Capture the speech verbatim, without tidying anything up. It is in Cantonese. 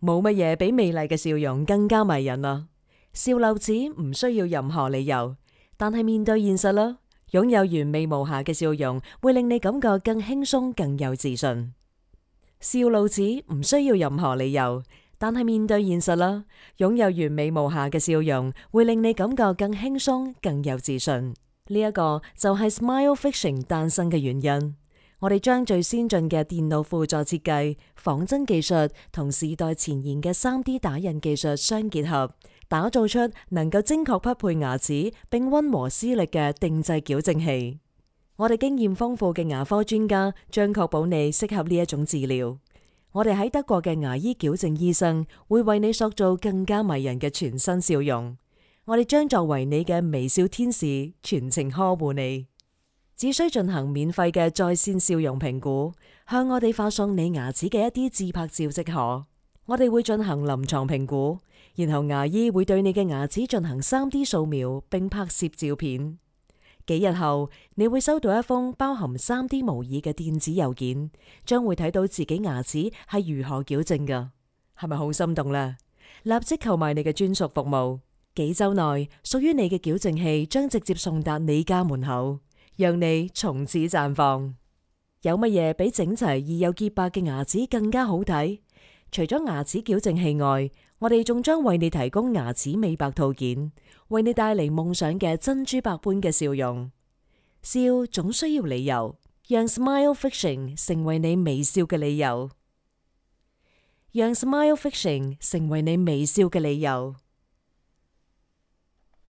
冇乜嘢比美麗嘅笑容更加迷人啦。笑漏子唔需要任何理由，但係面對現實啦，擁有完美無瑕嘅笑容會令你感覺更輕鬆、更有自信。笑漏子唔需要任何理由，但係面對現實啦，擁有完美無瑕嘅笑容會令你感覺更輕鬆、更有自信。呢一個就係 Smile Fiction 誕生嘅原因。我哋將最先進嘅電腦輔助設計、仿真技術同時代前沿嘅 三 D 打印技術相結合，打造出能夠精確匹配牙齒並溫和施力嘅定製矯正器。我哋經驗豐富嘅牙科專家將確保你適合呢一種治療。我哋喺德國嘅牙醫矯正醫生會為你塑造更加迷人嘅全新笑容。我哋將作為你嘅微笑天使，全程呵護你。只需進行免費嘅在線笑容評估，向我哋發送你牙齒嘅一啲自拍照即可。我哋會進行臨床評估，然後牙醫會對你嘅牙齒進行 三 D 掃描並拍攝照片。幾日後，你會收到一封包含 三 D 模擬嘅電子郵件，將會睇到自己牙齒係如何矯正㗎。係咪好心動呢？立即購買你嘅專屬服務。幾週內，屬於你嘅矯正器將直接送達你家門口，讓你從此綻放。有乜嘢比整齊而又潔白嘅牙齒更加好睇？除咗牙齒矯正器外，我哋仲將為你提供牙齒美白套件，為你帶嚟夢想嘅珍珠白般嘅笑容。笑總需要理由，讓 Smile Fiction 成為你微笑嘅理由。讓 Smile Fiction 成為你微笑嘅理由。